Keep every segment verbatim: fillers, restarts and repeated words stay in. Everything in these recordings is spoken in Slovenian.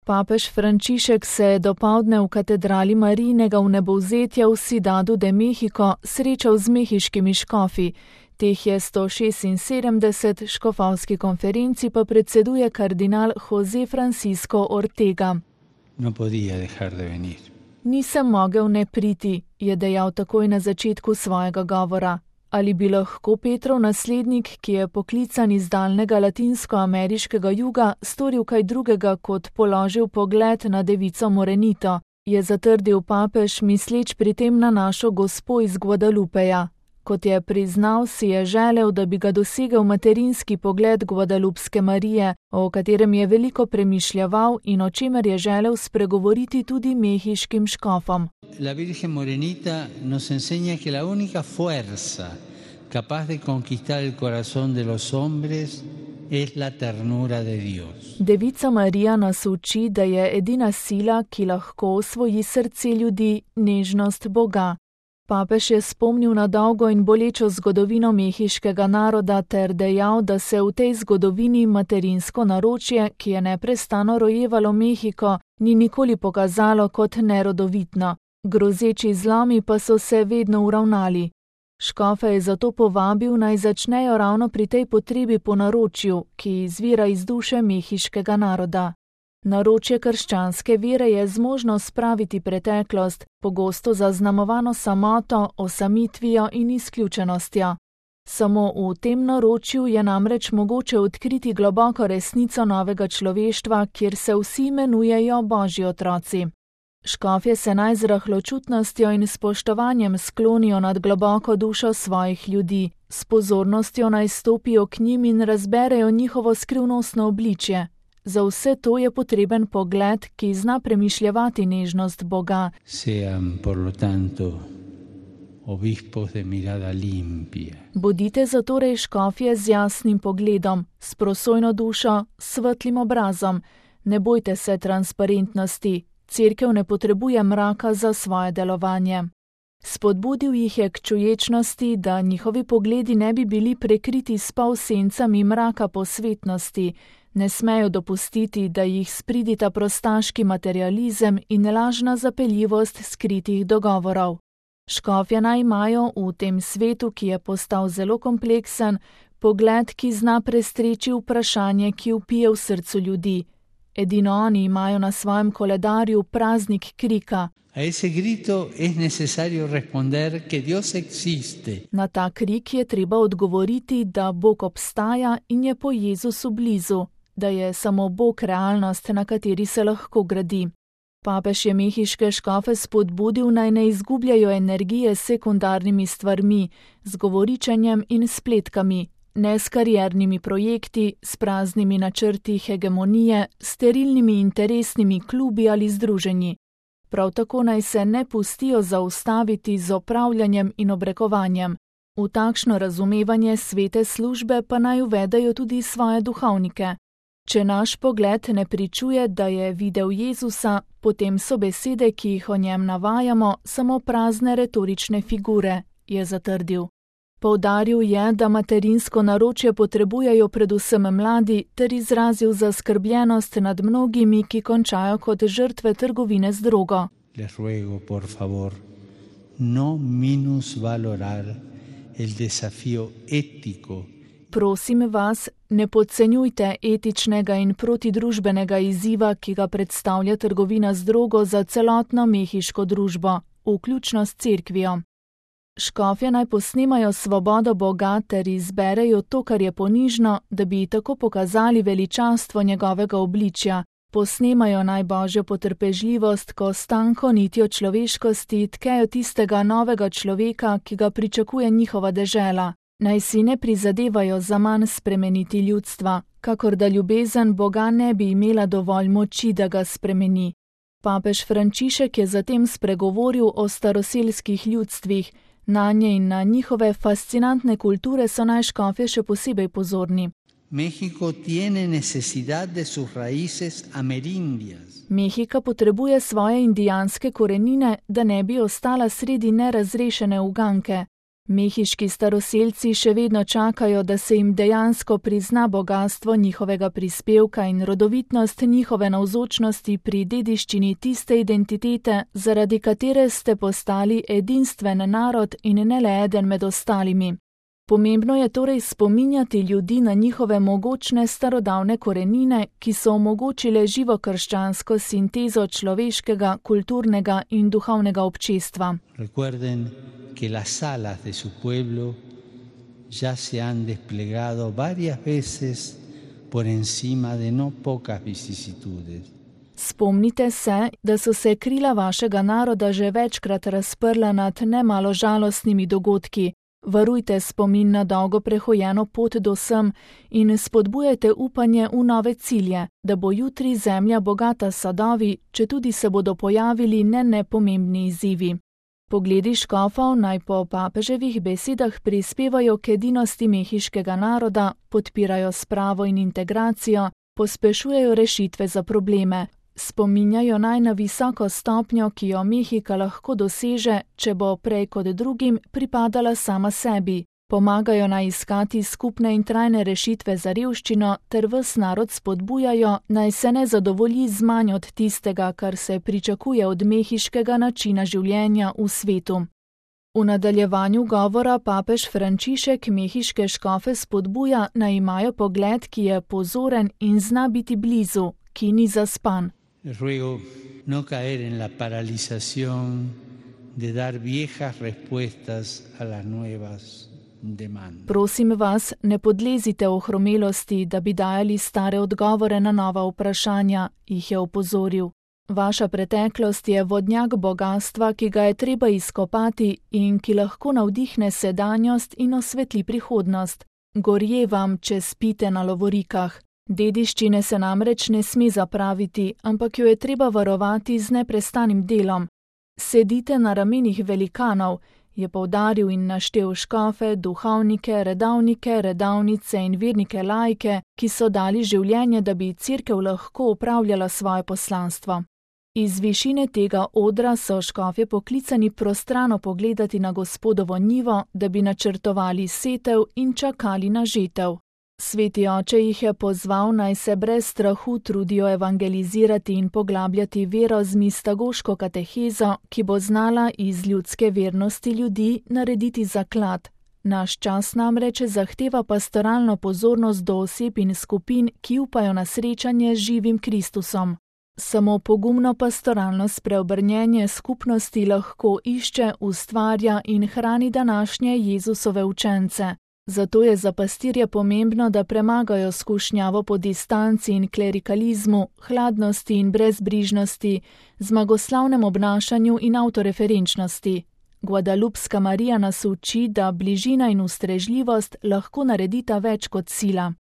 Papež Frančišek se je dopoldne v katedrali Marijinega vnebovzetja v Ciudadu de México srečal z mehiškimi škofi. Teh je sto šestinsedemdeset, škofovski konferenci pa predseduje kardinal José Francisco Ortega. No podía dejar de venir. Nisem mogel ne priti, je dejal takoj na začetku svojega govora. Ali bi lahko Petrov naslednik, ki je poklican iz daljnega latinskoameriškega juga, storil kaj drugega, kot položil pogled na devico Morenito, je zatrdil papež, misleč pri tem na našo gospo iz Guadalupeja. Kot je priznal, si je želel, da bi ga dosegel materinski pogled Guadalupske Marije, o katerem je veliko premišljaval in o čemer je želel spregovoriti tudi mehiškim škofom. La Virgen Morenita nos enseña que la única fuerza capaz de conquistar el corazón de los hombres es la ternura de Dios. Devica Marija nas uči, da je edina sila, ki lahko osvoji srce ljudi, nežnost Boga. Papež je spomnil na dolgo in bolečo zgodovino mehiškega naroda ter dejal, da se v tej zgodovini materinsko naročje, ki je neprestano rojevalo Mehiko, ni nikoli pokazalo kot nerodovitno. Grozeči zlomi pa so se vedno uravnali. Škofe je zato povabil, naj začnejo ravno pri tej potrebi po naročju, ki izvira iz duše mehiškega naroda. Naročje krščanske vere je zmožno spraviti preteklost, pogosto zaznamovano samoto, osamitvijo in izključenostjo. Samo v tem naročju je namreč mogoče odkriti globoko resnico novega človeštva, kjer se vsi imenujejo Božji otroci. Škofje se naj z rahločutnostjo in spoštovanjem sklonijo nad globoko dušo svojih ljudi, s pozornostjo naj stopijo k njim in razberejo njihovo skrivnostno obličje. Za vse to je potreben pogled, ki zna premišljevati nežnost Boga. Sean, por lo tanto, obispos de mirada limpia. Bodite zatorej škofje z jasnim pogledom, s prosojno dušo, s svetlim obrazom. Ne bojte se transparentnosti. Cerkev ne potrebuje mraka za svoje delovanje. Spodbudil jih je k čuječnosti, da njihovi pogledi ne bi bili prekriti s polsencami mraka posvetnosti. Ne smejo dopustiti, da jih spridita prostaški materializem in lažna zapeljivost skritih dogovorov. Škofje naj imajo v tem svetu, ki je postal zelo kompleksen, pogled, ki zna prestreči vprašanje, ki vpije v srcu ljudi. Edino oni imajo na svojem koledarju praznik krika. A ese grito es necesario responder que Dios existe. Na ta krik je treba odgovoriti, da Bog obstaja in je po Jezusu blizu, da je samo Bog realnost, na kateri se lahko gradi. Papež je mehiške škofe spodbudil, naj ne izgubljajo energije s sekundarnimi stvarmi, z govoričenjem in spletkami, ne s kariernimi projekti, s praznimi načrti hegemonije, sterilnimi interesnimi klubi ali združenji. Prav tako naj se ne pustijo zaustaviti z opravljanjem in obrekovanjem. V takšno razumevanje svete službe pa naj uvedejo tudi svoje duhovnike. Če naš pogled ne pričuje, da je videl Jezusa, potem so besede, ki jih o njem navajamo, samo prazne retorične figure, je zatrdil. Poudaril je, da materinsko naročje potrebujejo predvsem mladi, ter izrazil zaskrbljenost nad mnogimi, ki končajo kot žrtve trgovine z drogo. Les ruego, por favor, no minusvalorar el desafío ético. Prosim vas, ne podcenjujte etičnega in protidružbenega izziva, ki ga predstavlja trgovina z drogo za celotno mehiško družbo, vključno s cerkvijo. Škofje naj posnemajo svobodo Boga ter izberejo to, kar je ponižno, da bi tako pokazali veličastvo njegovega obličja. Posnemajo naj Božjo potrpežljivost, ko s tanko nitjo človeškosti tkejo tistega novega človeka, ki ga pričakuje njihova dežela. Naj si ne prizadevajo za manj spremeniti ljudstva, kakor da ljubezen Boga ne bi imela dovolj moči, da ga spremeni. Papež Frančišek je zatem spregovoril o staroselskih ljudstvih. Nanje in na njihove fascinantne kulture so naj škofje še posebej pozorni. México tiene necesidad de sus raíces amerindias. Mehika potrebuje svoje indijanske korenine, da ne bi ostala sredi nerazrešene uganke. Mehiški staroselci še vedno čakajo, da se jim dejansko prizna bogastvo njihovega prispevka in rodovitnost njihove navzočnosti pri dediščini tiste identitete, zaradi katere ste postali edinstven narod in ne le eden med ostalimi. Pomembno je torej spominjati ljudi na njihove mogočne starodavne korenine, ki so omogočile živo krščansko sintezo človeškega, kulturnega in duhovnega občestva. Recuerden que las alas de su pueblo ya se han desplegado varias veces por encima de no pocas vicisitudes. Spomnite se, da so se krila vašega naroda že večkrat razprla nad nemalo žalostnimi dogodki. Varujte spomin na dolgo prehojeno pot do sem in spodbujajte upanje v nove cilje, da bo jutri zemlja bogata sadovi, četudi se bodo pojavili ne nepomembni izzivi. Pogledi škofov naj po papeževih besedah prispevajo k edinosti mehiškega naroda, podpirajo spravo in integracijo, pospešujejo rešitve za probleme, spominjajo naj na visoko stopnjo, ki jo Mehika lahko doseže, če bo prej kot drugim pripadala sama sebi. Pomagajo naj iskati skupne in trajne rešitve za revščino ter ves narod spodbujajo, naj se ne zadovolji z manj od tistega, kar se pričakuje od mehiškega načina življenja v svetu. V nadaljevanju govora papež Frančišek mehiške škofe spodbuja, naj imajo pogled, ki je pozoren in zna biti blizu, ki ni zaspan. Ruego no caer en la paralización de dar viejas respuestas a las nuevas demandas. Prosim vas, ne podlezite ohromelosti, da bi dajali stare odgovore na nova vprašanja, jih je opozoril. Vaša preteklost je vodnjak bogastva, ki ga je treba izkopati in ki lahko navdihne sedanjost in osvetli prihodnost. Gorje vam, če spite na lovorikah. Dediščine se namreč ne sme zapraviti, ampak jo je treba varovati z neprestanim delom. Sedite na ramenih velikanov, je poudaril in naštel škofe, duhovnike, redavnike, redavnice in vernike laike, ki so dali življenje, da bi cerkev lahko upravljala svoje poslanstvo. Iz višine tega odra so škofje poklicani prostrano pogledati na Gospodovo njivo, da bi načrtovali setev in čakali na žetev. Sveti oče jih je pozval, naj se brez strahu trudijo evangelizirati in poglabljati vero z mistagoško katehezo, ki bo znala iz ljudske vernosti ljudi narediti zaklad. Naš čas namreč zahteva pastoralno pozornost do oseb in skupin, ki upajo na srečanje z živim Kristusom. Samo pogumno pastoralno spreobrnjenje skupnosti lahko išče, ustvarja in hrani današnje Jezusove učence. Zato je za pastirje pomembno, da premagajo skušnjavo po distanci in klerikalizmu, hladnosti in brezbrižnosti, zmagoslavnem obnašanju in avtoreferenčnosti. Guadalupska Marija nas uči, da bližina in ustrežljivost lahko naredita več kot sila.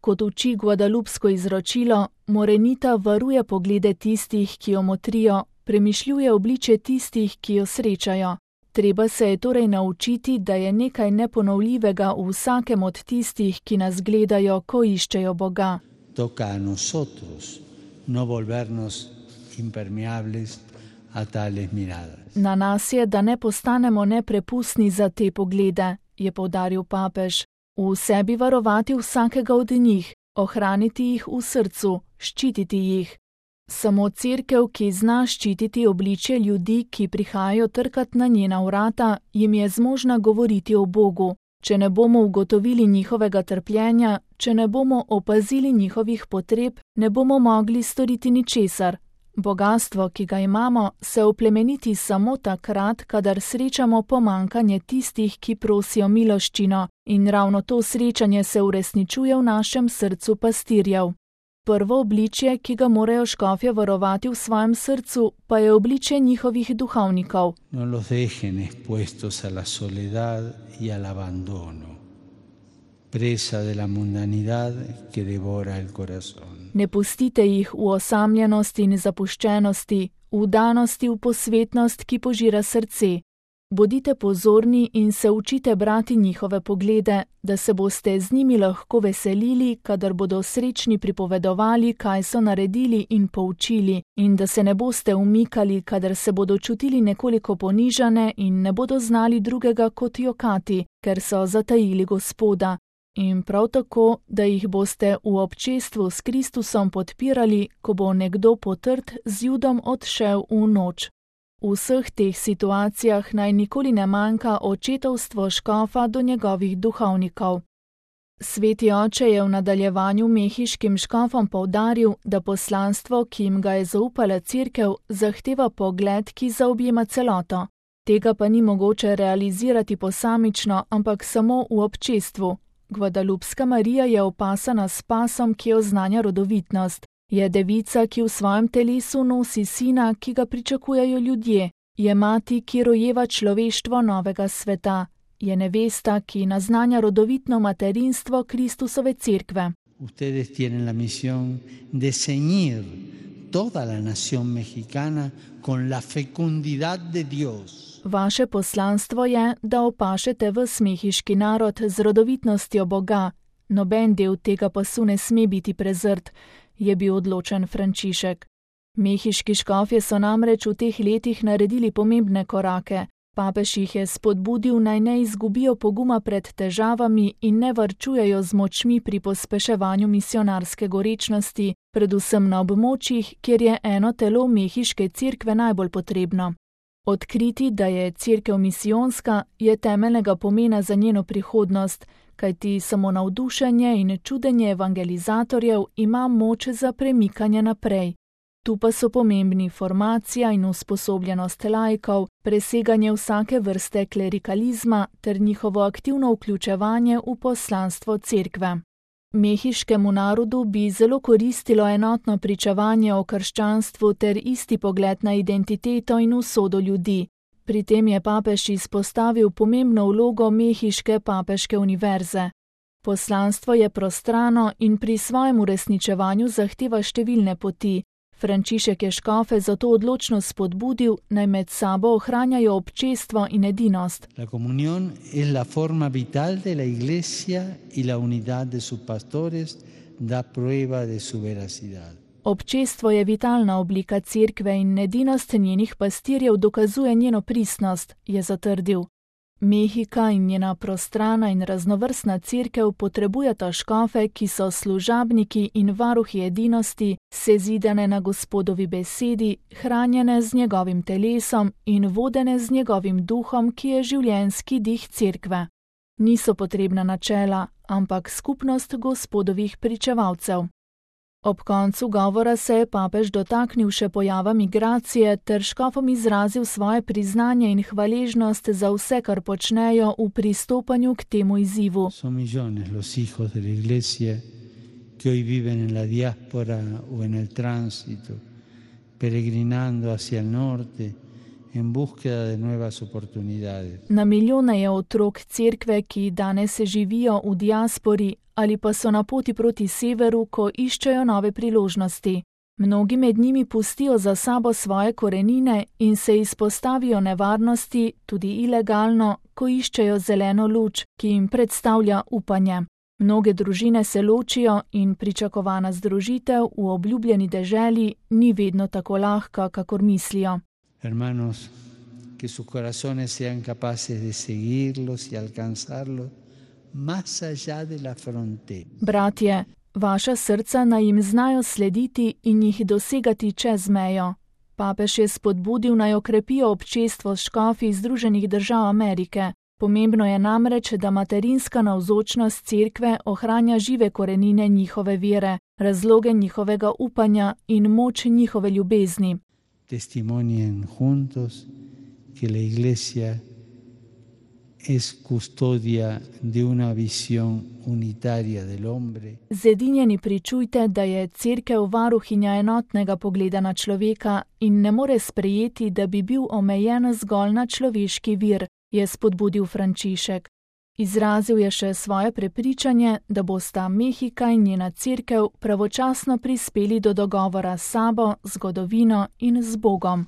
Kot uči guadalupsko izročilo, Morenita varuje poglede tistih, ki jo motrijo, premišljuje obličje tistih, ki jo srečajo. Treba se je torej naučiti, da je nekaj neponovljivega v vsakem od tistih, ki nas gledajo, ko iščejo Boga. Toca a nosotros no volvernos impermeables a tales miradas. Na nas je, da ne postanemo neprepustni za te poglede, je poudaril papež. V sebi varovati vsakega od njih, ohraniti jih v srcu, ščititi jih. Samo cerkev, ki zna ščititi obličje ljudi, ki prihajajo trkat na njena vrata, jim je zmožna govoriti o Bogu. Če ne bomo ugotovili njihovega trpljenja, če ne bomo opazili njihovih potreb, ne bomo mogli storiti ničesar. Bogastvo, ki ga imamo, se oplemeniti samo takrat, kadar srečamo pomanjkanje tistih, ki prosijo miloščino, in ravno to srečanje se uresničuje v našem srcu pastirjev. Prvo obličje, ki ga morajo škofje varovati v svojem srcu, pa je obličje njihovih duhovnikov. No los dejen expuestos a la soledad y al abandono, presa de la mundanidad que devora el corazón. Ne pustite jih v osamljenosti in zapuščenosti, v danosti v posvetnost, ki požira srce. Bodite pozorni in se učite brati njihove poglede, da se boste z njimi lahko veselili, kadar bodo srečni pripovedovali, kaj so naredili in poučili, in da se ne boste umikali, kadar se bodo čutili nekoliko ponižane in ne bodo znali drugega kot jokati, ker so zatajili Gospoda. In prav tako, da jih boste v občestvu s Kristusom podpirali, ko bo nekdo potrt z Judom odšel v noč. V vseh teh situacijah naj nikoli ne manjka očetovstvo škofa do njegovih duhovnikov. Sveti oče je v nadaljevanju mehiškim škofom poudaril, da poslanstvo, ki jim ga je zaupala cerkev, zahteva pogled, ki zaobjema celoto. Tega pa ni mogoče realizirati posamično, ampak samo v občestvu. Gvadalupska Marija je opasana s pasom, ki oznanja rodovitnost. Je devica, ki v svojem telesu nosi sina, ki ga pričakujejo ljudje. Je mati, ki rojeva človeštvo novega sveta. Je nevesta, ki naznanja rodovitno materinstvo Kristusove cerkve. Ustedes tienen la misión de ceñir toda la nación mexicana con la fecundidad de Dios. Vaše poslanstvo je, da opašete ves mehiški narod z rodovitnostjo Boga. Noben del tega pasu ne sme biti prezrt, je bil odločen Frančišek. Mehiški škofje so namreč v teh letih naredili pomembne korake. Papež jih je spodbudil, naj ne izgubijo poguma pred težavami in ne varčujejo z močmi pri pospeševanju misionarske gorečnosti, predvsem na območjih, kjer je eno telo mehiške cerkve najbolj potrebno. Odkriti, da je cerkev misijonska, je temeljnega pomena za njeno prihodnost, kajti samo navdušenje in čudenje evangelizatorjev ima moč za premikanje naprej. Tu pa so pomembni formacija in usposobljenost laikov, preseganje vsake vrste klerikalizma ter njihovo aktivno vključevanje v poslanstvo cerkve. Mehiškemu narodu bi zelo koristilo enotno pričevanje o krščanstvu ter isti pogled na identiteto in usodo ljudi. Pri tem je papež izpostavil pomembno vlogo mehiške papeške univerze. Poslanstvo je prostrano in pri svojem uresničevanju zahteva številne poti. Frančišek je škofe zato odločno spodbudil, naj med sabo ohranjajo občestvo in edinost. La comunión es la forma vital de la iglesia y la unidad de sus pastores da prueba de su veracidad. Občestvo je vitalna oblika cerkve in edinost njenih pastirjev dokazuje njeno pristnost, je zatrdil. Mehika in njena prostrana in raznovrstna cerkev potrebujeta škofe, ki so služabniki in varuhi edinosti, sezidane na Gospodovi besedi, hranjene z njegovim telesom in vodene z njegovim duhom, ki je življenjski dih cerkve. Niso potrebna načela, ampak skupnost Gospodovih pričevalcev. Ob koncu govora se je papež dotaknil še pojava migracije ter škofom izrazil svoje priznanje in hvaležnost za vse, kar počnejo v pristopanju k temu izzivu. Son millones los hijos de la iglesia que hoy viven en la diáspora o en el tránsito, peregrinando hacia el norte en búsqueda de nuevas oportunidades. Na milijone je otrok cerkve, ki danes živijo v diaspori ali pa so na poti proti severu, ko iščejo nove priložnosti. Mnogi med njimi pustijo za sabo svoje korenine in se izpostavijo nevarnosti, tudi ilegalno, ko iščejo zeleno luč, ki jim predstavlja upanje. Mnoge družine se ločijo in pričakovana združitev v obljubljeni deželi ni vedno tako lahka, kakor mislijo. Hermanos, que sus corazones sean capaces de seguirlos y alcanzarlos más allá de la frontera. Bratje, vaša srca naj jim znajo slediti in jih dosegati čez mejo. Papež je spodbudil, naj okrepijo občestvo s škofi Združenih držav Amerike. Pomembno je namreč, da materinska navzočnost cerkve ohranja žive korenine njihove vere, razloge njihovega upanja in moč njihove ljubezni. Testimonien juntos que la iglesia es custodia de una visión unitaria del hombre. Zedinjeni pričujte, da je cerkev varuhinja enotnega pogleda na človeka in ne more sprejeti, da bi bil omejen zgolj na človeški vir, je spodbudil Frančišek. Izrazil je še svoje prepričanje, da bosta Mehika in njena cerkev pravočasno prispeli do dogovora s sabo, zgodovino in z Bogom.